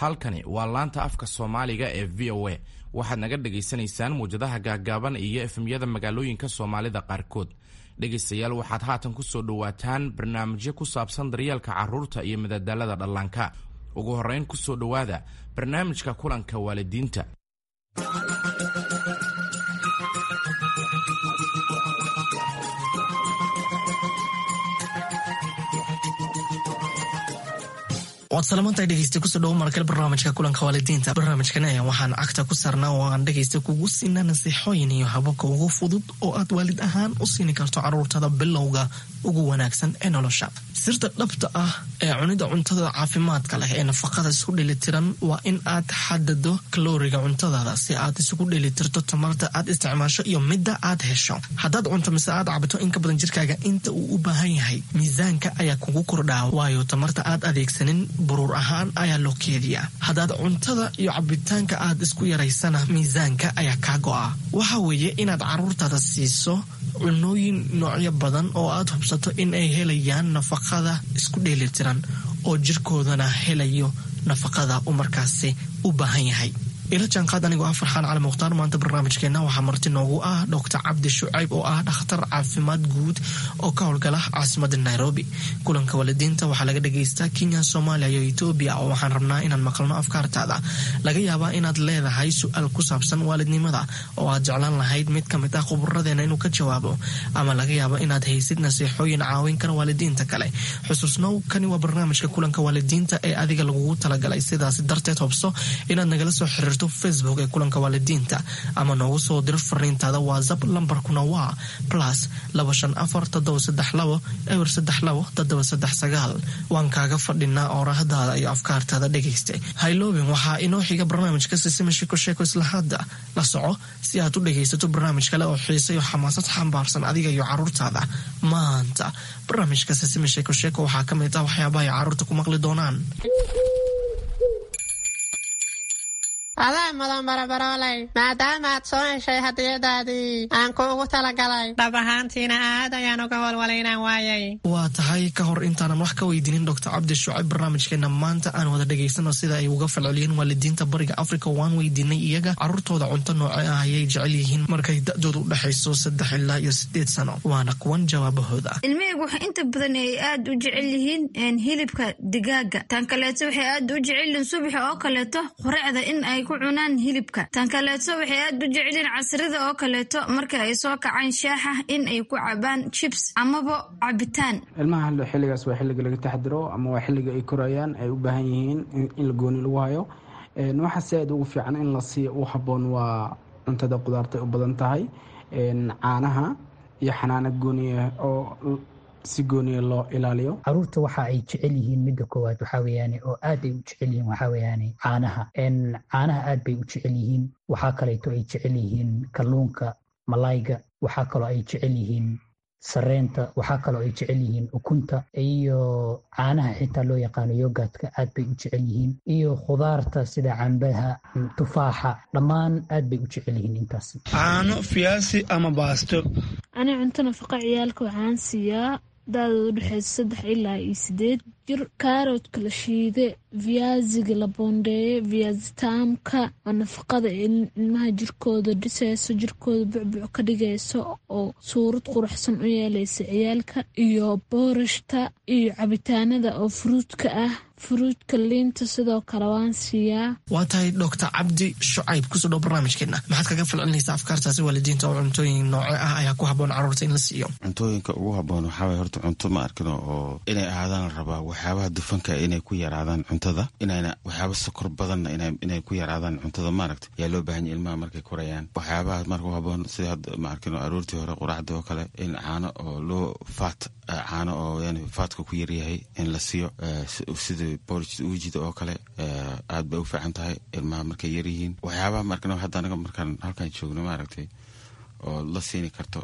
Halkani waa laanta afka Soomaaliga ee VOA. Waxaad naga dhagaysanaysaan muwjadaha gaagaaban iyo FM-yada magaalooyinka Soomaalida qaarkood. Dhegaystayaal, waxaad haatan ku soo dhowaataan barnaamijyo ku saabsan daryeelka carruurta iyo madadaalada dhallaanka. Ugu horrayn, ku soo dhowaada barnaamijka kulanka waalidiinta. Waad salamantahay, dhegeysta. Kusoo dhawo markale barnaamijka kulanka waalidiinta. Barnaamijkan ayaa waxaan cagta ku saarnaa oo aan dhegeysta kugu siinaa nasiixooyin iyo hababka ugu fudud oo aad waalid ahaan u siini karto caruurtada bilowga ugu wanaagsan ee nolosha. Sirta dhabta ah ee cunida cuntada caafimaadka leh ee nafaqada isku dheelitiran waa in aad xadado kalooriga cuntadaada si aad isugu dheelitirto tamarta aad isticmaasho iyo midda aad hesho. Haddaad cunto mise aad cabto in ka badan jirkaaga inta uu u baahan yahay, miisaanka ayaa kugu kordhaa, waayo tamarta aad adeegsanin buruur ahaan ayaa loo keediyaa. Haddaad cuntada iyo cabitaanka aad isku yaraysana, miisaanka ayaa kaa go'a. Waxa weeye inaad caruurtaada siiso cunooyin noocyo badan oo aad hubsato in ay helayaan nafaqada isku dheelitiran oo jirkoodana helayo nafaqada uu markaasi u baahan yahay. Ila jaanqaad anigoo ah Farxaan Cali Mukhtaar. Maanta barnaamijkeenna waxaa marti noogu ah Doctor Cabdi Shucayb oo ah dhakhtar caafimaad guud oo ka howlgala caasimada Nairobi. Kulanka waalidiinta waxaa laga dhagaystaa Kenya, Soomaaliya iyo Etoobiya, oo waxaan rabnaa inaan maqalno afkaartaada. Laga yaabaa inaad leedahay su-aal ku saabsan waalidnimada oo aad jeclaan lahayd mid ka mid ah khuburadeena inuu ka jawaabo, ama laga yaabo inaad haysid nasiixooyin caawin kara waalidiinta kale. Xusuusnow, kani waa barnaamijka kulanka waalidiinta ee adiga lagugu talagalay. Sidaas darteed, hobso inaad nagala soo xiriirto Facebook ee kulanka waalidiinta ama noogu soo diro fariintaada WhatsApp. Lambarkuna waa +254 732 032 739. Waan kaaga fadhinaa oorahdaada iyo afkaartaada, dhegaysta. Hayloobin, waxaa inoo xiga barnaamijka Sisima Sheko Sheeko. Isla hadda la soco si aad u dhegaysato barnaamij kale oo xiisa iyo xamaasad xambaarsan adiga iyo caruurtaada. Maanta barnaamijka Sisima Sheeko Sheeko waxaa ka mid ah waxyaabaha ay caruurta ku maqli doonaan. Adaa mudan, barabarooley, maadaama aad soo heshay hadiyadaadii aan kuugu talagalay. Dhab ahaantiina aad ayaan uga walwalay inaan waayay. Waa tahay. Ka hor intaanan wax ka weydiinin Doctor Cabdi Shucayb barnaamijkeena maanta, aan wada dhegaysano sida ay uga falceliyeen waalidiinta Bariga Africa. Waan weydiinay iyaga caruurtooda cunto nooce ah ayay jecel yihiin markay da-dooda u dhexayso 3 ilaa iyo 8 sano. Waana kuwan jawaabahooda. Ilmahaygu waxay inta badan ay aad u jecel yihiin hilibka digaaga. Tan kaleeto, waxay aad u jecel yihiin subaxa oo kaleeto quraacda in ay ku cunaan hilibka. Tan kaleeto, waxay aad u jecelyihiin casrida oo kaleeto marka ay soo kacaan shaaxa in ay ku cabaan chips amaba cabitaan. Ilmaha xilligaas waa xilliga laga taxdiro ama waa xilliga ay korayaan, ay u baahan yihiin in la gooni lagu hayo. Waxa si aad ugu fiican in la siiyo u habboon waa cuntada qudaarta u badan tahay, caanaha iyo xanaano gooniya oo si gooniya loo ilaaliyo. Caruurta waxa ay jecel yihiin, midda koowaad waxaa weeyaane oo aad ay u jecel yihiin, waxaa weeyaane caanaha. Caanaha aad bay u jecel yihiin. Waxaa kaleeto ay jecel yihiin kalluunka, malayga. Waxaa kaloo ay jecel yihiin sareenta. Waxaa kaloo ay jecel yihiin ukunta iyo caanaha xitaa loo yaqaano yogurtka aad bay u jecel yihiin, iyo khudaarta sida cambaha, tufaaxa, dhammaan aad bay u jecel yihiin intaas. Caano, fiyaasi ama baasto. Ani cunto nafaqa ciyaalka waxaan siiyaa da-dooda udhexeysa 3 ilaa iyo 8 jir kaaroodka la shiide, viyaasiga la boondeeye, viyaasitaamka oo nafaqada ilmaha jirkooda dhiseyso, jirkooda bucbuc ka dhigayso oo suurad quruxsan u yeeleysa ciyaalka, iyo boorashta iyo cabitaanada oo fruitka ah, fruitka, liinta sidoo kale waan siiyaa. Waa tahay. Doctor Cabdi Shucayb, kusoo dhow barnaamijkeena. Maxaad kaga falcelinaysaa afkaartaasi waalidiinta oo cuntooyin nooce ah ayaa ku habboon caruurta in la siiyo? Cuntooyinka ugu habboon waxaa waye horta cunto ma arkino oo inay ahaadaan la rabaa waxyaabaha dufanka inay ku yaraadaan cuntada, inayna waxyaaba sokor badanna inay ku yaraadaan cuntada, maaragta, yaa loo baahan yahay ilmaha markay korayaan. Waxyaabaha marka u habboon sida hadda, ma arkino, aroortii hore quraacda oo kale in caano oo loo fat, caano oo yani fatka ku yaryahay in la siiyo, sida porridge uujida oo kale, aad bay u fiican tahay ilmaha markay yaryihiin. Waxyaabaha markano hadda anaga markaan halkan joogno, maaragtay, oo la siini karto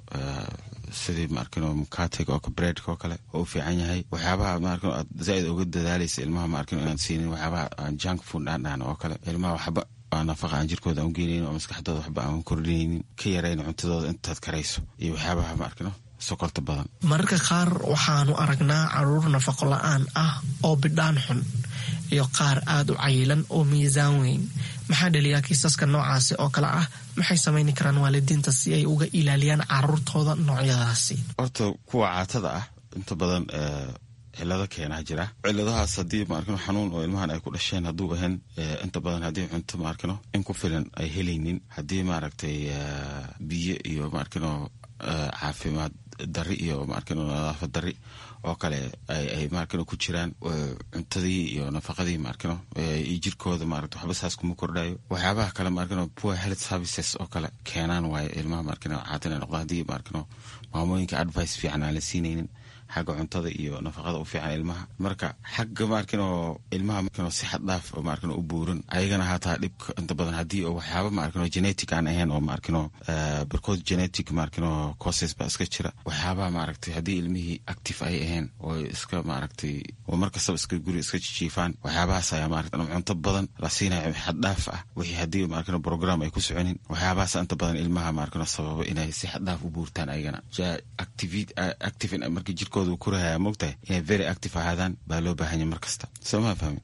sidii, maarkino, mukatega oo breadka oo kale oo u fiican yahay. Waxyaabaha, maarkino, aad zaaid uga dadaalaysa ilmaha, maarkino, inaan siinin waxyaabaha aan junk food aan dhahno oo kale, ilmaha waxba aan nafaqa aan jirkooda aan ugeynaynin oo maskaxdooda waxba aan kordhinaynin, ka yarayn cuntadooda intaad karayso, iyo waxyaabaha, maarkino, sokorta badan. Mararka qaar waxaanu aragnaa caruur nafaqo la-aan ah oo bidhaan xun. Iyo qaar aada u cayilan oo miisaan weyn. Maxaa dhaliyaa kiisaska noocaasi oo kale ah? Maxay samayni karaan waalidiinta si ay uga ilaaliyaan caruurtooda noocyadaasi? Horta kuwa caatada ah inta badan cilado keenaa jira. Ciladahaas haddii maarkino xanuun oo ilmahan ay ku dhasheen hadduu ahayn, inta badan haddii cunto maarkino in ku filan ay helaynin, haddii maaragtay biyo iyo maarkino caafimaad dari iyo maarkino nadaafad dari oo kale ay maarkino ku jiraan cuntadii iyo nafaqadii maarkino iyo jirkooda maaragta waxba saas kuma kordhayo. Waxyaabaha kale maarkino poor health services oo kale keenaan waaye ilmaha maarkino caata inay noqdaan, haddii maarkino maamooyinka advice fiican aan la siinaynin xagga cuntada iyo nafaqada u fiican ilmaha. Marka xagga maarkino ilmaha maarkino si xad dhaaf oo maarkino u buuran ayagana hataa dhibka inta badan haddii oo waxyaaba maarkino genetic aan ahayn oo maarkino barkood genetic maarkino causes baa iska jira. Waxyaabaha maaragtay haddii ilmihii active ay ahayn oo iska maaragtay oo markastaba iska guri iska jijiifaan, waxyaabahaas ayaa maaragtay ama cunto badan la siinayo xad dhaaf ah, wixii haddii maarkino program ay ku soconin, waxyaabahaas inta badan ilmaha maarkino sababa inay si xad dhaaf u buurtaan ayagana. Active markii jirkooda uu korahaya, moogtahay inay very active ahaadaan baa loo baahanya mar kasta, soo ma fahmi?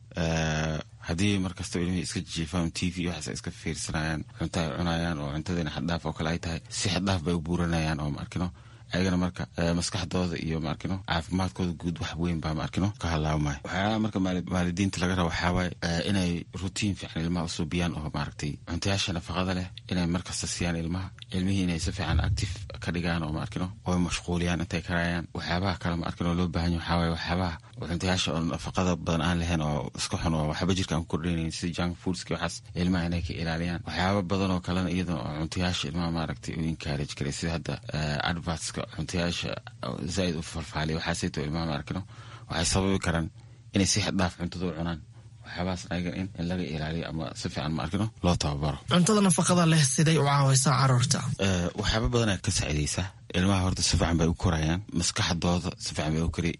Haddii markasta ilmihii iska jiifaan, TV waxaas ay iska fiirsanayaan, cunto ay cunayaan oo cuntadiina xaddhaaf oo kale ay tahay, si xaddhaaf bay u buuranayaan oo maarkino ayagana marka maskaxdooda iyo maarkino caafimaadkooda guud wax weyn baa maarkino ka halaabmaya. Waxyaalaha marka waalidiinta laga raba waxaa waaye inay routine fiican ilmaha usuubiyaan oo maaragtay cuntayaasha nafaqada leh inay markasta siiyaan ilmaha, ilmihii inay si fiican active ka dhigaan oo maarkino oo mashquuliyaan intay karayaan. Waxyaabaha kale maarkino loo baahan yahay waxaa waaye waxyaabaha cuntayaasha oo nafaqada badan aan lahayn oo iska xun oo waxba jirka aan ku kordhinaynin, sida junk foodska, waxaas ilmaha inay ka ilaaliyaan. Waxyaaba badan oo kalena iyadana oo cuntayaasha ilmaha maaragtay u encourage karay, sida hadda advertska cuntayaasha zaaid u falfaaliya, waxaasayto ilmaha maarkino waxay sababi karaan inay si xad dhaaf cuntada u cunaan. Waxyaabahaas ayaga in laga ilaaliyo ama si fiican maarkino loo tababaro. Cuntada nafaqada leh siday u caawaysaa caruurta? Waxyaaba badanaa ka saacidaysa ilmaha. Horta si fiican bay u korayaan, maskaxdooda si fiican bay u kori,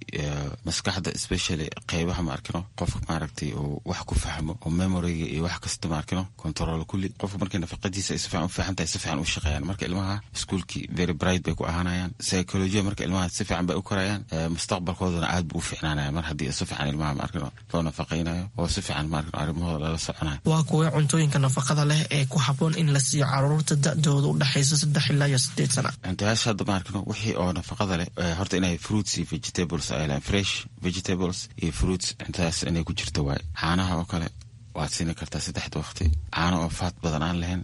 maskaxda especially qeybaha maarkino qofka maaragtay uu wax ku fahmo oo memoryga iyo wax kasta maarkino control kulli. Qofka markay nafaqadiisa ay si fiican u fiican tahay, si fiican u shaqeeyaan. Marka ilmaha iskuulkii very bright bay ku ahaanayaan, psychology marka ilmaha si fiican bay u korayaan, mustaqbalkoodana aad buu u fiicnaanaya mar haddii si fiican ilmaha maarkino loo nafaqaynayo oo si fiican maarkino arrimahooda lala soconayo. Waa kuwee cuntooyinka nafaqada leh ee ku habboon in la siiyo caruurta da'dooda u dhexaysa 3 ilaa iyo 8 sana? Cuntayaasha hadda maarkino wixii oo nafaqada leh horta inay fruits iyo vegetables ay lehan, fresh vegetables iyo fruits, cuntadaas inay ku jirto waaye. Caanaha oo kale waad siini kartaa saddexda waqti, caano oo faat badan aan lahayn.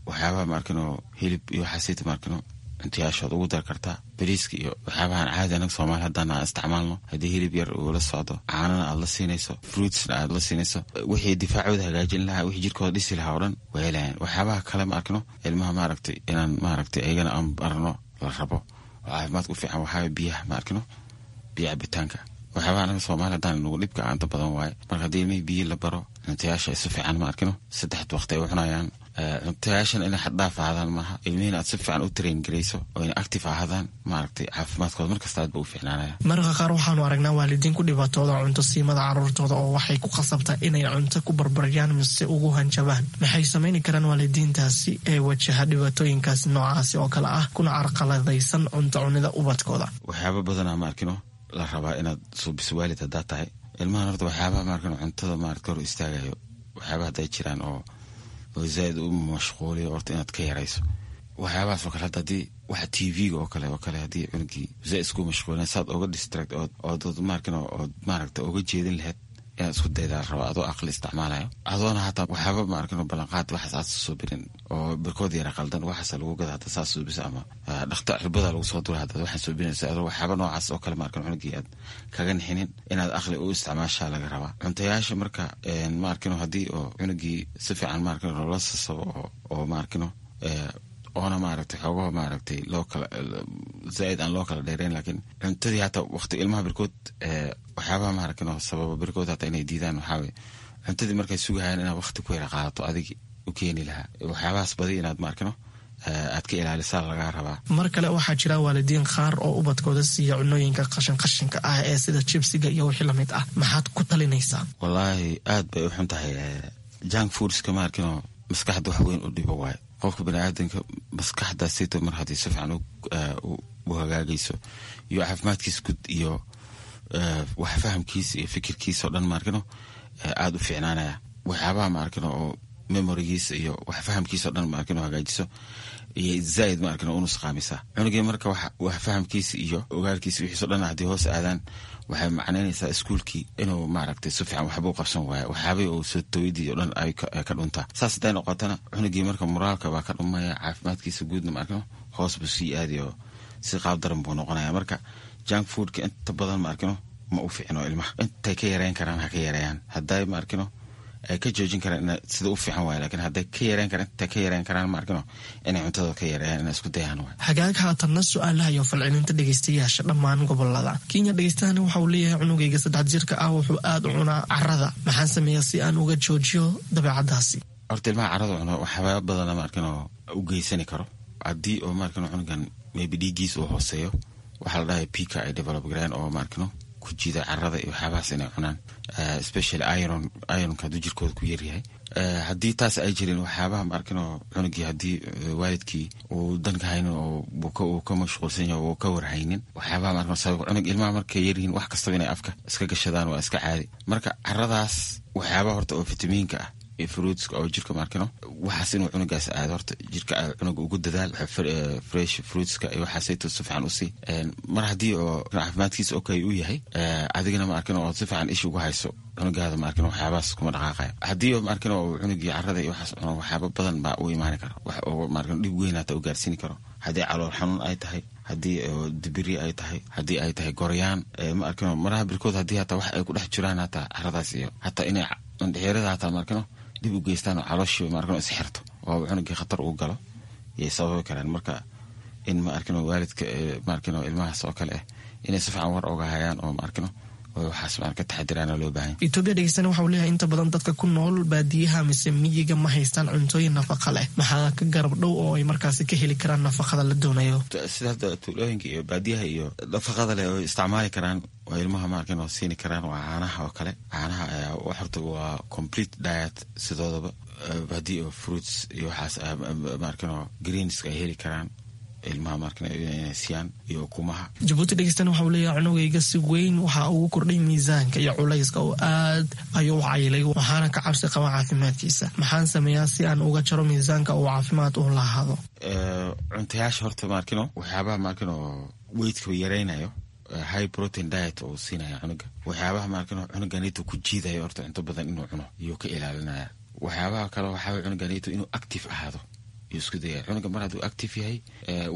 Waxyaabaha maarkino hilib iyo waxaasita maarkino cuntayaashood ugu dar kartaa. Bariiska iyo waxyaabahan caadi anaga Soomaali haddaan aan isticmaalno, haddii hilib yar uu la socdo, caanana aad la siinayso, fruitsna aad la siinayso, wixii difaacooda hagaajin lahaa, wixii jirkooda dhisi lahaa oo dhan way helayaan. Waxyaabaha kale ma arkino ilmaha maaragtay inaan maaragtay ayagana aan barno la rabo oo caafimaadka u fiican waxaa biyaha ma arkino, biyo cabitaanka. Waxyaabaha anaga Soomaali haddaan nagu dhibka inta badan waaye. Marka haddii ilmihii biyo la baro, cuntayaasha si fiican ma arkino saddexda waqti ay u cunayaan, cuntayaashan inay xaddhaaf ahaadaan maaha, ilmihiina aad si fiican u train garayso oo inay active ahaadaan, maaragtay caafimaadkooda markasta aad ba u fiicnaanaya. Mararka qaar waxaanu aragnaa waalidiin ku dhibaatooda cunto siimada caruurtooda oo waxay ku khasabtaa inay cunto ku barbaryaan mise ugu hanjabaan. Maxay samayni karaan waalidiintaasi ee wajaha dhibaatooyinkaas noocaasi oo kale ah kuna carqaladaysan cunto cunida ubadkooda? Waxyaaba badanaa ma arkino la rabaa inaad suubiso waalid haddaad tahay ilmahan. Horta waxyaabaha maarkino cuntada maarata hor istaagayo, waxyaabaha hadday jiraan oo zaaid u mashquuliyo, horta inaad ka yarayso waxyaabahaas oo kale. Hadda haddii waxa TV-ga oo kale haddii cunugii zaaid isku mashquulin, saad oga distract ood maarkino ood maaragta oga jeedin lahayd inaad isku daydaa la rabaa, adoo aqli isticmaalayo, adoona hataa waxyaaba maarkino ballanqaad waxaas aad suubinin oo barkood yara qaldan waxaas lagu gada hadda saas suubisa ama dhakta cirbada lagu soo dura hadda waxaan suubinaysa, adoo waxyaaba noocaas oo kale maarkino cunugii aad kaga nixinin, inaad aqli u isticmaashaa laga rabaa cuntayaasha. Marka maarkino haddii oo cunugii si fiican maarkino loola sasabo oo maarkino oona maaragtay xoogaho maaragtay loo kala zaaid aan loo kala dheereyn, laakiin cuntadii hataa waqti ilmaha barkood waxyaabaha maaragtay sababa barkood hataa inay diidaan waxaa waye cuntadii markay sugahayaan inaad waqti ku yara qaadato adigi u keeni lahaa. Waxyaabahaas badi inaad maarkino aad ka ilaalisaa lagaa rabaa. Mar kale waxaa jira waalidiin qaar oo ubadkooda siiya cunooyinka qashin qashinka ah ee sida jibsiga iyo wixii lamid ah. Maxaad ku talinaysaa? Wallaahi aad bay u xun tahay junk foodska maarkino, maskaxda wax weyn u dhibo waaye. Qofka baniaadanka maskaxdaasito mar haddii si fiican u hagaagayso iyo caafimaadkiisa guud iyo wax fahamkiisa iyo fikirkiisa o dhan maarkino Aada u fiicnaanaya waxyaabaha ma arkin oo memorigiisa iyo wax fahamkiisa o dhan ma arkin oo hagaajiso iyo zaaid ma arkin oo unusqaamisa cunugii. Marka wax fahamkiisa iyo ogaalkiisa wixiiso dhan haddii hoos aadaan, waxay macnaynaysaa iskuulkii inuu maaragtay si fiican waxba u qabsan waayo, waxyaabihii uu soo tawidii o dhan ay ka dhuntaa. Saas hadday noqotana, cunugii marka moraalka baa ka dhumaya, caafimaadkiisa guudna ma arkino hoos buu sii aadayo, si qaab daran buu noqonaya. Marka junk foodka inta badan ma arkino ma u fiicno ilmaha. Intay ka yareyn karaan ha ka yareeyaan, hadday ma arkino ay ka joojin karaan sida u fiican waay, lakin hadday ka yareyn karaan, intay ka yareyn karaan ma arkino inay cuntada ka yareeyaan, inay isku dayaan waay. Hagaag, haatanna su-aalaha iyo falcelinta dhegeystayaasha dhammaan gobolada Kenya. Dhegeystahani waxa uu leeyahay: cunugayga 3 jirka ah wuxuu aada u cunaa carada, maxaan sameeyaa si aan uga joojiyo dabeecadaasi? Horta ilmaha carada cuno waxyaaba badana ma arkin oo u geysani karo. Haddii oo ma arkino cunugan maybe dhiiggiis uu hooseeyo, waxaa la dhahay pica ay develop gareen oo ma arkino ku jiida carada iyo waxyaabahaas inay cunaan, especially iron. Ironka hadduu jirkooda ku yaryahay, haddii taas ay jirin, waxyaabaha ma arkin oo cunugii haddii waalidkii uu danka haynin oo uu ka mashquulsan yahay oo ka warhaynin waxyaabaha ma arkin sabab cunug. Ilmaha markay yaryihiin wax kastaba inay afka iska gashadaan waa iska caadi. Marka caradaas waxyaabaha horta oo fitamiinka ah iyo fruitska oo jirka maarkino waxaas inuu cunugaas aado, horta jirka cunuga ugu dadaal fresh fruitska iyo waxaasayto si fiican usii. Mar haddii oo caafimaadkiisa okay uu yahay, adigana ma arkin oo si fiican ishi ugu hayso cunugaada, ma arkin waxyaabahaas kuma dhaqaaqaya. Haddii ma arkin oo cunugii carada iyo waxaas cuno, waxyaaba badan baa u imaani kara, wax oo ma arkin dhib weyn hata u gaarsiini karo. Haddii calool xanuun ay tahay, haddii dibiri ay tahay, haddii ay tahay goryaan, ma arkino maraha birkood haddii hataa wax ay ku dhex jiraan hataa caradaas iyo hataa inay indhexeerada hataa ma arkino dib u geystaan oo calooshii ma arkino isxirto oo cunugii khatar uu galo yay sababi karaan. Marka in ma arkino waalidka ma arkino ilmahaas oo kale ah inay si fiican war oga hayaan oo ma arkino waxaas ma ka taxadiraana loo baahan. Etoobiya dhegeystana waxa uu leeyahay: inta badan dadka ku nool baadiyaha mise miyiga ma haystaan cuntooyin nafaqa leh, maxaa ka garab dhow oo ay markaasi ka heli karaan nafaqada la doonayo? Sida hadda tuulooyinka iyo baadiyaha iyo nafaqada leh oo isticmaali karaan oo ilmaha ma arkin oo siini karaan waa caanaha oo kale. Caanaha ayaa horta waa complete diet sidoodaba. Haddii oo fruits iyo waxaas ma arkin oo greenska ay heli karaan ilmaha markan inay siiyaan iyo ukumaha. Jabuuti dhegeystana waxa uu leeyahay: cunugayga si weyn waxa ugu kordhay miisaanka iyo culayska oo aad ayuu u cayilay, waxaana ka cabsi qaba caafimaadkiisa. Maxaan sameeyaa si aan uga jaro miisaanka uu caafimaad u lahaado? Cuntayaasha horta maarkino waxyaabaha maarkino weightka yaraynayo, high protein diet oo siinaya cunuga, waxyaabaha maarkino cunuganito ku jiidayo horta cunto badan inuu cuno iyuu ka ilaalinaya. Waxyaabaha kale waxaa cunuganito inuu active ahaado isku daya. Cunuga mar hadduu active yahay,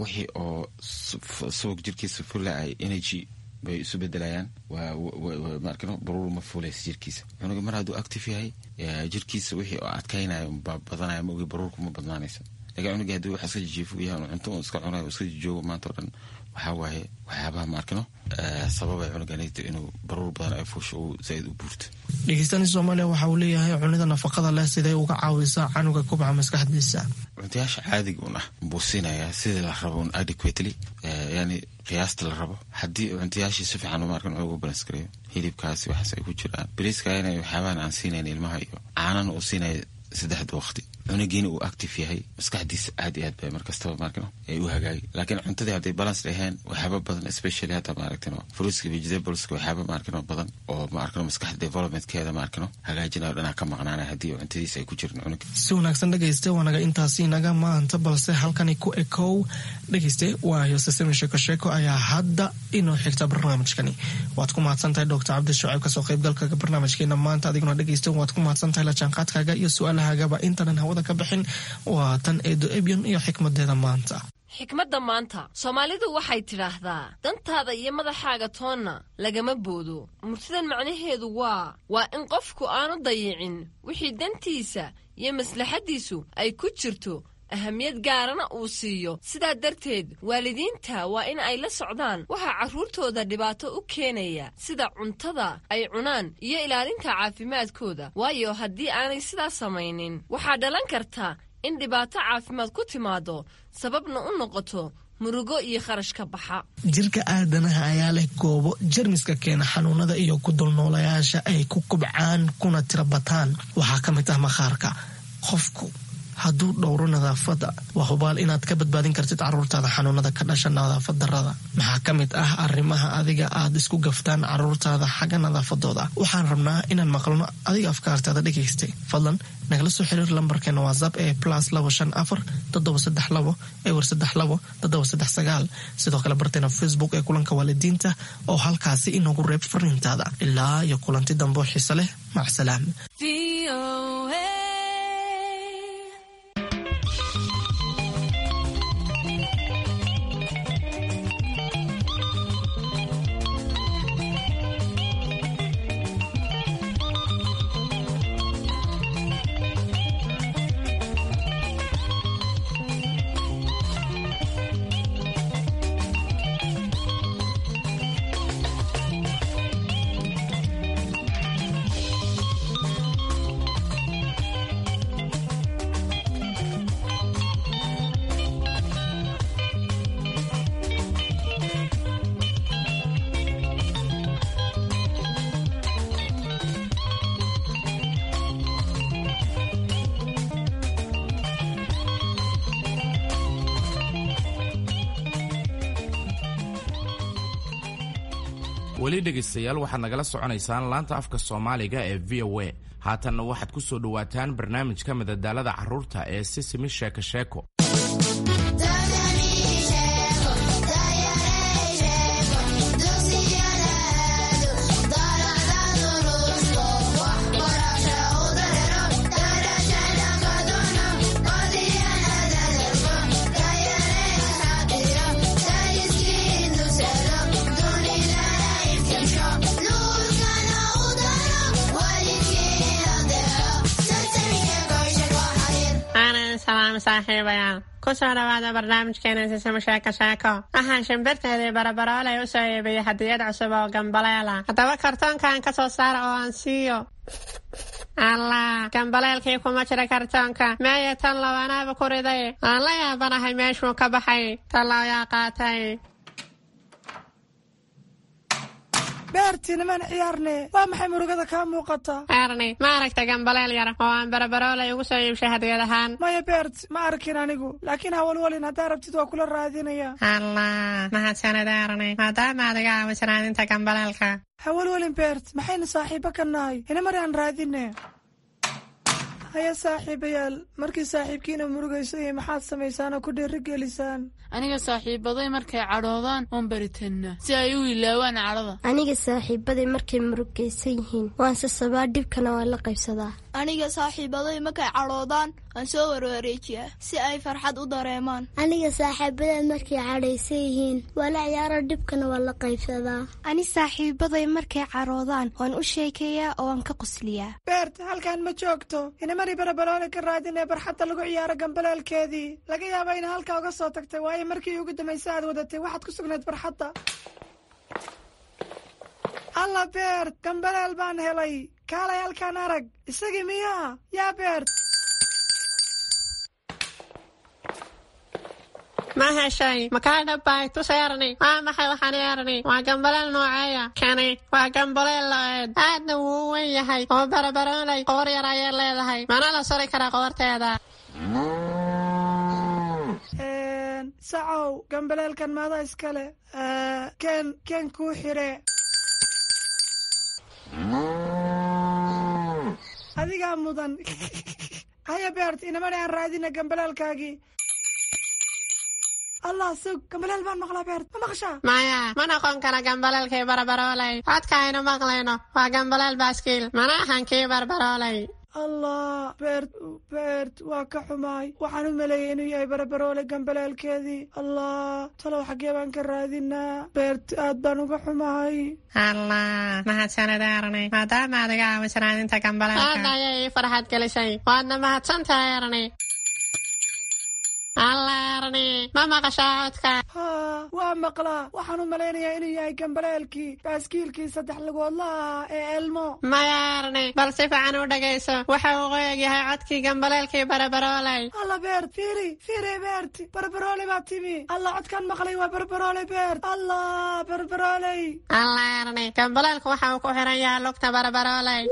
wixii oo subag jirkiisa fula ay energy bay isu bedelayaan, maarkino baruur ma fulaysa jirkiisa. Cunuga mar hadduu active yahay, jirkiisa wixii oo adkaynayo baa badanaya, ma ogi baruurku ma badnaanaysa. Lakin cunuga haddii wax iska jijiifo yahay, cunto uu iska cunayo, iska jijoogo maanta o dhan, waxaa waaye waxyaabaha maarkino sababay cunuganito inuu baruur badan ay fuusho uu zaaid u buurto. Dhegeystani Soomaaliya waxa uu leeyahay: cunida nafaqada leh sidee uga caawisaa canuga kubca maskaxdiisa? Cuntayaasha caadiga un ah buu siinayaa sidii la rabo un adequately, yani qiyaasta la rabo. Haddii cuntayaashii si fiican maarkan ugu balance gareeyo, hilibkaasi waxaas ay ku jiraan, bariiska inay waxyaabahan aan siinayn ilmaha iyo caanana uu siinaya saddexda waqti, cunugiina uu active yahay, maskaxdiisa aad iyo aad bay markastaba maarkino ay u hagaagi. Laakiin cuntadii hadday balance dhaheen, waxyaaba badan, especially hadda maaragtino fruitska, vegetables, waxyaaba maarkino badan oo maarkino maskaxda developmentkeeda maarkino hagaajinayo dhanaa ka maqnaanaya haddii cuntadiisa ay ku jirin cunuga. Si wanaagsan dhegayste, waanaga intaasi inaga maanta, balse halkani ku ekow dhegayste, waayo sesemi sheeko sheeko ayaa hadda inoo xigta barnaamijkani. Waad ku mahadsan tahay Doctor Cabdi Shucayb kasoo qaybgalka barnaamijkeena maanta. Adiguna dhegayste waad ku mahadsan tahay la jaanqaadkaaga iyo su-aalahagaba. Intanan hawada ka bixin, waa tan Eedo Ebyon iyo xikmadeeda maanta. Xikmadda maanta, Soomaalidu waxay tidhaahdaa: dantaada iyo madaxaaga toonna lagama boodo. Murtidan macnaheedu waa in qofku aanu dayicin wixii dantiisa iyo maslaxaddiisu ay ku jirto, ahamiyad gaarana uu siiyo. Sidaa darteed waalidiinta waa in ay la socdaan waxaa carruurtooda dhibaato u keenaya, sida cuntada ay cunaan iyo ilaalinta caafimaadkooda, waayo haddii aanay sidaa samaynin waxaa dhalan karta in dhibaato caafimaad ku timaado, sababna u noqoto murugo iyo kharash ka baxa. Jirka aadanaha ayaa leh goobo jermiska keena xanuunada iyo ku dulnoolayaasha ay ku kubcaan kuna tira bataan. Waxaa ka mid ah maqaarka. Qofku hadduu dhowro nadaafadda, waa hubaal inaad ka badbaadin kartid caruurtaada xanuunada ka dhasha nadaafad darrada. Maxaa ka mid ah arrimaha adiga aad isku gaftaan caruurtaada xagga nadaafadooda? Waxaan rabnaa inaan maqalno adiga afkaartaada dhegaystay. Fadlan nagala soo xiriir lambarkeena WhatsApp ee +254 732 032 739. Sidoo kale barteena Facebook ee Kulanka Waalidiinta oo halkaasi inoogu reeb fariintaada. Ilaa iyo kulanti dambe oo xiise leh, macsalaam. Weli dhegaystayaal, waxaad nagala soconaysaan laanta afka Soomaaliga ee VOA. Haatanna waxaad ku soo dhowaataan barnaamijka madadaalada carruurta ee Sisimi Sheeko Sheeko. Salaam saaxiibayaal, kusoo dhawaada barnaamijkeena Sisimo Sheeko Sheeko. Waxaan shimbirteedii Barabaroolay u soo iibiyey hadiyad cusub oo gambaleela. Haddaba kartoonkan ka soo saara oo aan siiyo. Allah, gambaleelkii kuma jira kartoonka. Meeya tan lawanaaba ku riday? Aan la yaabanahay meeshuu ka baxay. Tallow yaa qaatay? Beerti, nimaan ciyaarne. Waa maxay murugada kaa muuqata? Erni, ma aragta gambaleel yar oo aan Barabaroolay ugu soo iibshay hadiyad ahaan? Maya Beert, ma arkin anigu, laakiin hawalwalin, haddaa rabtid waa kula raadinaya. Allah, mahadsanid Erni, maadaama aad iga caawiso raadinta gambaleelka. Hawalwalin Beert, maxaynu saaxiibo ka nahay? Inamari aan raadine. Haya saaxiibayaal, markii saaxiibkiina murugayso iyo maxaad samaysaan oo ku dhiirigelisaan? Aniga saaxiibaday markay cadhoodaan oon baritanna si ay u ilaawaan cadhada. Aniga saaxiibaday markay murugaysan yihiin waan sasabaa, dhibkana waan la qaybsadaa. Aniga saaxiibaday markay cadhoodaan waan soo warwareejiyaa si ay farxad u dareemaan. Aniga saaxiibaday markay cadhaysan yihiin waa la ciyaaro, dhibkana waan la qaybsadaa. Ani saaxiibaday markay cadhoodaan waan u sheekeeyaa oo waan ka qosliyaa. Beert, halkan ma joogto. Inamari Barabaroole ka raadinee barxadda lagu ciyaaro gambaleelkeedii. Laga yaaba ina halkaa uga soo tagtay, waayo markii ugu dambaysa aad wadatay waxaad ku sugnayd barxadda. Alla Beert, gambaleel baan helay. Kaalay halkaan arag. Isagii miyaa? Yaa Beert? Ma heshay? Makaa dhabbay? Tus Erni. Waa maxay waxaan Erni? Waa gambaleel nooceeya? Kani waa gambaleel lo'eed, aadna wuu u weyn yahay oo Barabaroolay qoor yar ayay leedahay, mana la suri karaa qoorteeda. Sacow, gambaleelkan maada iskale? Ken ken kuu xire. Adigaa mudan. Haya Beert, inamani aan raadina gambaleelkaagii. Allah, sug, gambaleel baan maqlaa. Beert, ma maqashaa? Maya, ma noqon kara gambaleelkii Barabaroolay. Codka aynu maqlayno waa gambaleel baaskiil, mana ahan kii Barbaroolay. Allah Beert, Beert, waa ka xumaay. Waxaan u maleeyay inuu yahay Barabaroole gambaleelkeedii. Allah, talow xaggee baan ka raadinaa? Beert, aad baan uga xumahay. Allah, mahadsanid Erni, maadaama aad iga caawiso raadinta gambaleelka. Aad ayay ii farxad gelisay, waadna mahadsantahay Erni. Allah Erni, ma maqashaa codka? Haa, waa maqlaa. Waxaan u malaynayaa inuu yahay gambaleelkii baaskiilkii saddex lugoodla ahaa ee Elmo. Maya Erni, bal si fiican u dhegayso. Waxa uu qoyag yahay codkii gambaleelkii Barabaroolay. Alla Beert, fiiri fiiri. Beert, Barabarooley baa timi. Allah, codkaan maqlay waa Barabarooley. Beert, Allah, Barabarooley. Allah Erni, gambaleelku waxa uu ku xiran yahay lugta Barabarooley.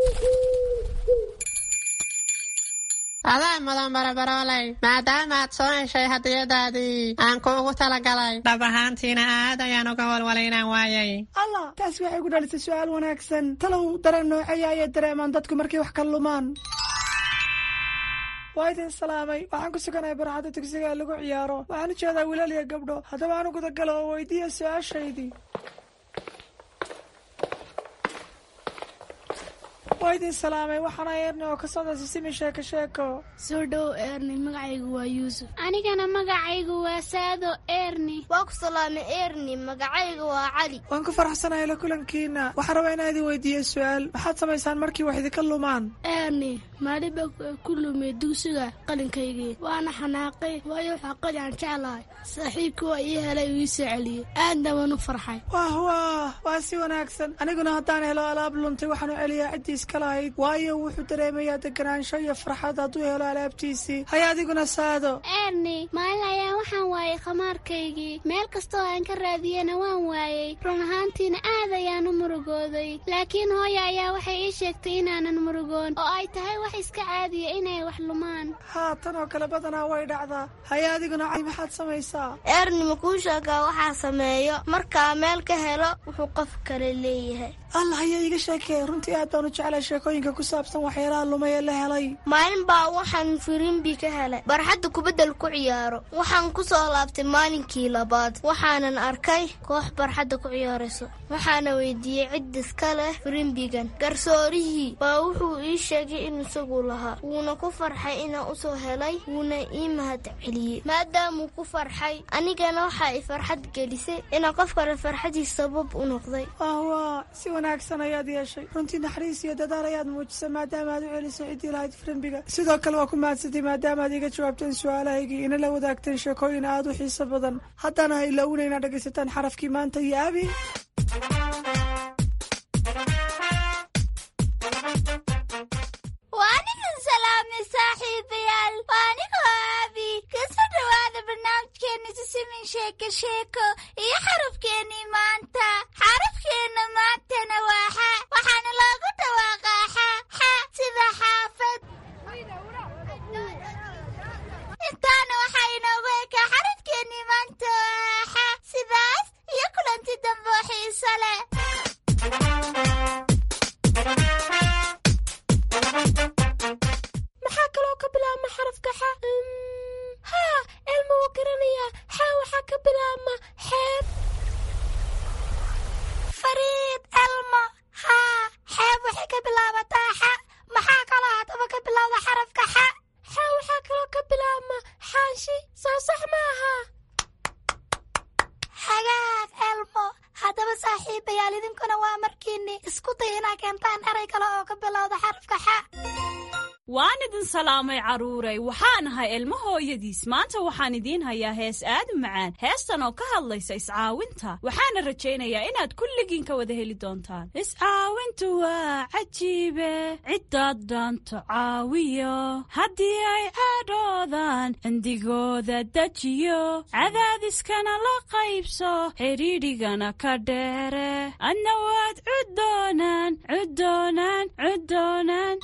Adaa mudan Barabarooley, maadaama aad soo heshay hadiyadaadii aan kuugu talagalay. Dhab ahaantiina aad ayaan uga walwalay inaan waayay. Allah, taas waxay ku dhalisay su-aal wanaagsan. Talow dareen nooceeya ayay dareemaan dadku markay wax ka lumaan? Waa idin salaamay. Waxaan ku suganahay barxadda dugsiga ee lagu ciyaaro. Waxaan u jeedaa wiilal iyo gabdho. Haddaba aan u gudagalo oo weydiiya su-aashaydii. Waa idin salaamay. Waxaana Eerni oo ka socda Sisimi Sheeko Sheeko. Soo dhow Eerni, magacaygu waa Yuusuf. Anigana magacaygu waa Saado Eerni. Waa ku salaamay Eerni, magacaygu waa Cali. Waan ku faraxsanahay la kulankiina. Waxaan rabaa inaan idin weydiiyo su-aal. Maxaad samaysaan markii wax idinka lumaan? Eerni, maalin baa ku lumay dugsiga qalinkaygii, waana xanaaqay, waayo waxaa qalin aan jeclahay. Saaxiibkii waa ii helay, uu ii soo celiyey, aadna waan u farxay. Wah wah, waa si wanaagsan. Aniguna haddaan helo alaab luntay, waxaan u celiyaa ciddii iska lahayd, waayo wuxuu dareemayaa deganaansho iyo farxad hadduu helo alaabtiisii. Haya adiguna Saado. Eerni, maalin ayaa waxaan waayay khamaarkaygii. Meel kastoo aan ka raadiyena waan waayey. Run ahaantiina aad ayaan u murugooday, laakiin hooya ayaa waxay ii sheegtay inaanan murugoon oo ay tahay wax iska caadiya inay wax lumaan. Haa, tan oo kale badanaa way dhacdaa. Haya adiguna Cali, maxaad samaysaa? Eerni, ma kuu sheegaa waxaa sameeyo markaa meel ka helo wuxuu qof kale leeyahay? Allah, haya iiga sheekee. Runtii aad baan u jeclay sheekooyinka ku saabsan waxyaalaha lumay ee la helay. Maalin baa waxaan firimbi ka helay barxadda kubaddal ku ciyaaro. Waxaan ku soo laabtay maalinkii labaad, waxaanan arkay koox barxadda ku ciyaarayso. Waxaana weydiiyey cid iska leh firimbigan. Garsoorihii baa wuxuu ii sheegay inuu isagu lahaa, wuuna ku farxay inaan usoo helay, wuuna ii mahad celiyey. Maadaamuu ku farxay, anigana waxaa i farxad gelisay inaan qof kale farxadiis sabab u noqday. Wah, si wanaagsan ayaad yeeshay. Runtii naxariis iyo dadaal ayaad muujisay maadaama aad u celisay ciddii lahayd firimbiga. Sidoo kale waa ku mahadsantay maadaama aad iga jawaabteen su-aalahaygii, ina la wadaagteen sheekooyin aad u xiiso badan. Haddana ha ilaawina inaad dhegaysataan xarafkii maanta iyo Abi. Waa idin salaamay saaxiibayaal, waa anigoo Aabi. Kasoo dhawaada barnaamijkeena Sisimin Sheeko Sheeko iyo xarafkeenii maanta. Xarafkeenna maantana waa xa, waxaana loogu dhawaaqaa xa xa, sida xaafad. Intaana waxaa inoogu ekaa xarafkeenii maanta oo xa. Sidaas iyo kulanti dambe oo xiiso leh. Maxaa kaloo ka bilaabma xarafka xa? Haa, Elma wuu garanayaa. Xa waxaa ka bilaabma xeeb. Fariid, Elmo, haa, xeeb waxay ka bilaabataa xa. Maxaa kaloo haddaba ka bilowda xarafka xa? Xa waxaa kaloo ka bilaabma xaanshi, soo sax maaha? Hagaag Elmo. Haddaba saaxiibayaal, idinkuna waa markiinni isku day inaa keentaan eray kale oo ka bilowda xarafka xa. Waan idin salaamay carruuray. Waxaan ahay Ilmo hooyadiis. Maanta waxaan idiin hayaa hees aad u macaan, heestan oo ka hadlaysa iscaawinta. Waxaana rajaynayaa inaad kulligiin ka wada heli doontaan. Iscaawintu waa cajiibe, ciddaad dhaanto caawiyo, haddii ay cadhoodaan cindigooda dejiyo, cadaadiskana la qaybso, xidhiidhigana ka dheere, adna waad cuddoonaan cuddoonaan cuddoonaan.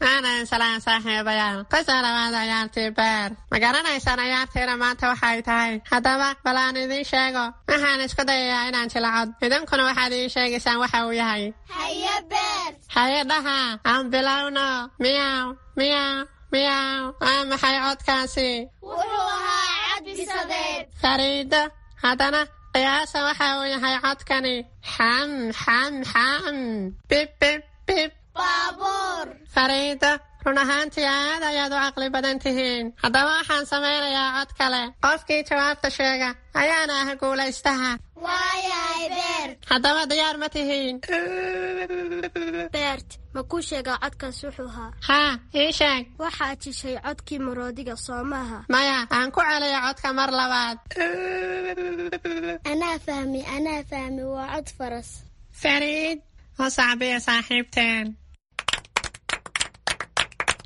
Aanan salaan saaxiibayaal, kusoo dhawaada ciyaartii beer. Ma garanaysaan ciyaartiina maanta waxay tahay? Haddaba bal aan idiin sheego. Waxaan isku dayayaa inaan jilacod, idinkuna waxaad ii sheegaysaan waxa uu yahay. Haye Beer. Haye dhaha, aan bilowno. Miyaw miyaw miyaw, waa maxay codkaasi? Wuxuu ahaa cad bisadeed. Fariido, haddana qiyaasa waxa uu yahay codkani. Xam xam xam, bib bib bib. Baabuur. Fariido, run ahaantii aad ayaad u caqli badan tihiin. Haddaba waxaan samaynayaa cod kale. Qofkii jawaabta sheega ayaana ah guulaystaha. Waayahay Beer. Haddaba diyaar ma tihiin? Beert, ma kuu sheegaa codkaas wuxuu ahaa? Haa, ii sheeg. Waxaad jishay codkii maroodiga, soo maaha? Maya, aan ku celiyo codka mar labaad. Anaa fahmi, anaa fahmi, waa cod faras. Fariid, oo sacbiya saaxiibteen.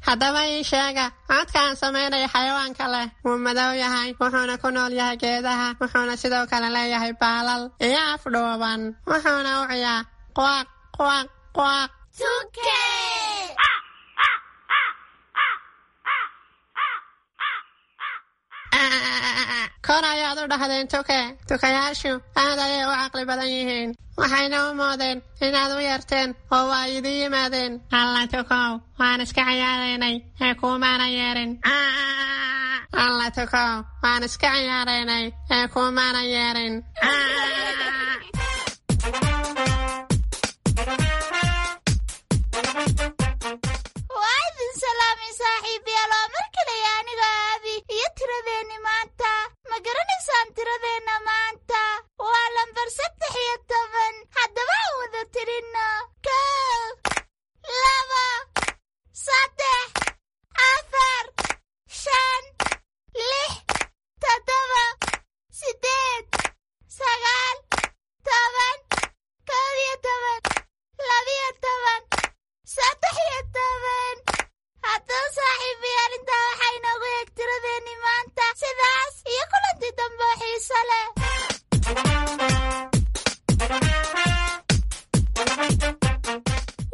Haddaba ii sheega codka aan samaynaya xayawaanka leh. Wuu madow yahay, wuxuuna ku nool yahay geedaha, wuxuuna sidoo kale leeyahay baalal iyo af dhuuban, wuxuuna u ciyaa quaq quaq quaq. Tuke. Kor ayaad u dhahdeen tuke. Tukayaashu aad ayay u caqli badan yihiin, waxayna u moodeen inaad u yeerteen oo waa idin yimaadeen. Alla tukow, waan iska ciyaaraynay ee kuumaana yeerin. Alla tukow, waan iska ciyaaraynay ee kuumaana yeerin. Waa idin salaamay saaxiibayaal, waa mar kaleya aniga Aabi iyo tiradeenni maanta. Ma garanaysaan tiradeenna maanta? Waa lambar 13. Haddaba aan wada tirinno: 1, 2, 3, 4, 5, 6, 7, 8, 9, 10, 11, 12, 13. Haddaba saaxiibayaal, intaa waxaa inoogu eeg tiradeenni maanta. Sidaas iyo kulanti dambe oo xiiso leh.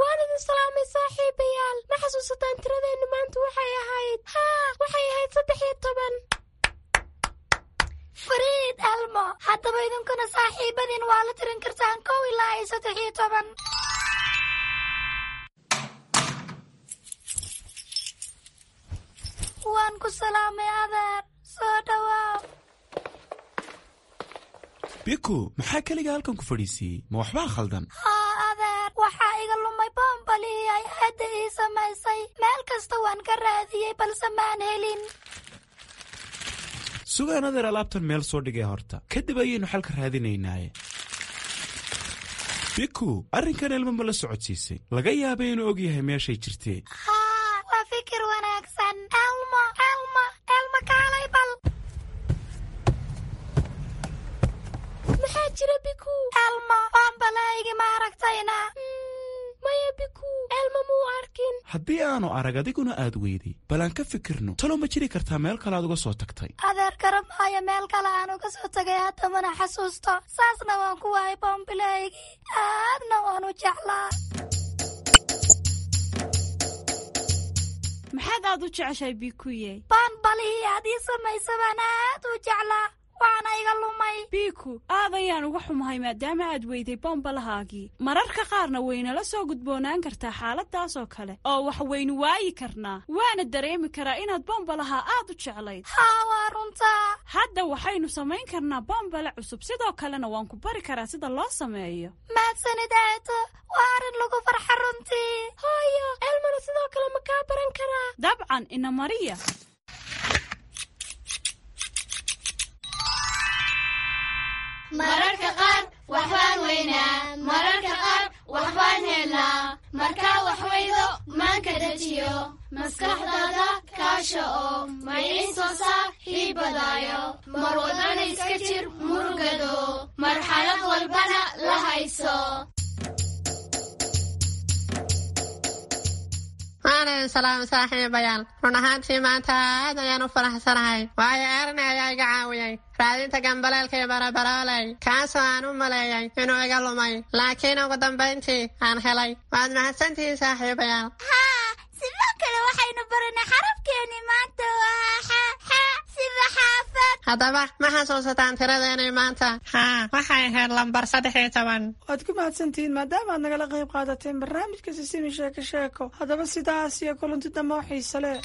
Waan idin salaamay saaxiibayaal. Ma xasuusataan tiradeennu maanta waxay ahayd? Haa, waxay ahayd 13. Fariid Elmo, haddaba idinkuna saaxiibadiin waa la tirin kartaan 1 ilaa iyo 13. Waan ku salaamay adeer, soo dhawaaw. Biku, maxaa keliga halkan ku fadhiisiiyey? Ma waxbaa khaldan? Haa adeer, waxaa iga lumay boombalihii ay aadda ii samaysay. Meel kasta waan ka raadiyey balse maan helin. Sugaan adeer, alaabtan meel soo dhigay horta, kadib ayaynu xalka raadinaynaaye. Biku, arrinkan Elmo ma la socodsiisay? Laga yaabay inuu og yahay meeshay jirtee. Haa, waa fikir wanaagsan. Elmo, Elmo, Elmo, kaalay bal. Maxaa jira, Biku? Elmo, boombalahaygi ma aragtayna? Maya Biku, Elmo muu arkin. Haddii aanu arag adiguna aad weyday, bal aan ka fikirno. Talow ma jiri kartaa meel kale aad uga soo tagtay? Adeer, garab maayo meel kale aan uga soo tagay, haddamana xasuusto. Saasna waan ku waayay boombilahaygii, aadna waan u jeclaa. Maxaad aad u jeceshahay, Bikuye? Boonbalihii aad ii samaysa baan aad u jeclaa, waana iga lumay. Biku, aad ayaan uga xumahay maadaama aad weyday boombalahaagii. Mararka qaarna waynala soo gudboonaan kartaa xaaladaas oo kale oo wax waynu waayi karnaa, waana dareemi karaa inaad boombalaha aad u jeclayd. Haa, waa runtaa. Hadda waxaynu samayn karnaa boombale cusub, sidoo kalena waan ku bari karaa sida loo sameeyo. Mahadsanid aato, waa arrin lagu farxa runtii. Hooyo, Elmona sidoo kale ma kaa baran karaa? Dabcan, ina mariya. Mararka qaar waxbaan weynaa, mararka qaar waxbaan helnaa. Markaa wax weydo maanka dejiyo, maskaxdaada kaasha oo maciinsoo saaxiibadaayo. Mar wadana iska jir murugado, marxalad walbana la hayso. Waan idin salaamay saaxiibayaal. Run ahaantii maanta aad ayaan u faraxsanahay, waayo Erni ayaa iga caawiyey raadinta gambaleelkii Barabarooley, kaasoo aan u maleeyay inuu iga lumay, laakiin ugu dambayntii aan helay. Waad mahadsantihiin saaxiibayaal. Haa, sidoo kale waxaynu baranay xarafkeeni maanta waa xa, xa sida xaafad. Haddaba ma xasuusataan tiradeenii maanta? Haa, waxay ahayd lambar 13. Waad ku mahadsantihiin maadaama aad nagala qayb qaadateen barnaamijka Sisimi Sheeko Sheeko. Haddaba sidaas iyo kulanti dambe oo xiise leh.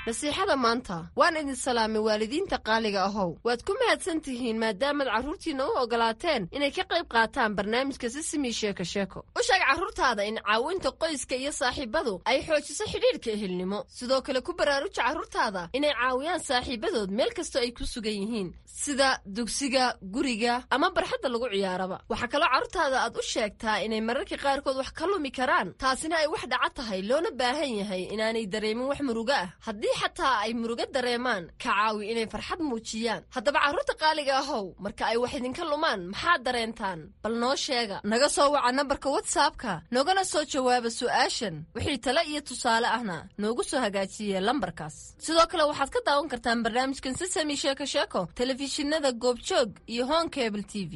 Nasiixada maanta. Waan idin salaamay waalidiinta qaaliga ahow. Waad ku mahadsan tihiin maadaamaad carruurtiinna u ogolaateen inay ka qayb qaataan barnaamijka Sisimi Sheeko Sheeko. U sheeg carruurtaada in caawinta qoyska iyo saaxiibadu ay xoojiso xidhiidhka ehelnimo. Sidoo kale ku baraaruja carruurtaada inay caawiyaan saaxiibadood meel kastoo ay ku sugan yihiin, sida dugsiga, guriga ama barxadda lagu ciyaaraba. Waxaa kaloo carruurtaada aad u sheegtaa inay mararka qaarkood wax ka lumi karaan, taasina ay wax dhaca tahay, loona baahan yahay inaanay dareemin wax murugo ah. Haddii xataa ay murugo dareemaan, ka caawi inay farxad muujiyaan. Haddaba carruurta qaaliga ahow, marka ay wax idinka lumaan maxaad dareentaan? Bal noo sheega. Naga soo waca nambarka WhatsAppka, noogana soo jawaaba su'aashan. Wixii tale iyo tusaale ahna noogu soo hagaajiye lambarkaas. Sidoo kale waxaad ka daawan kartaan barnaamijkan Sisami Sheeko Sheeko telefishinada Goobjoog iyo Hon Cable TV.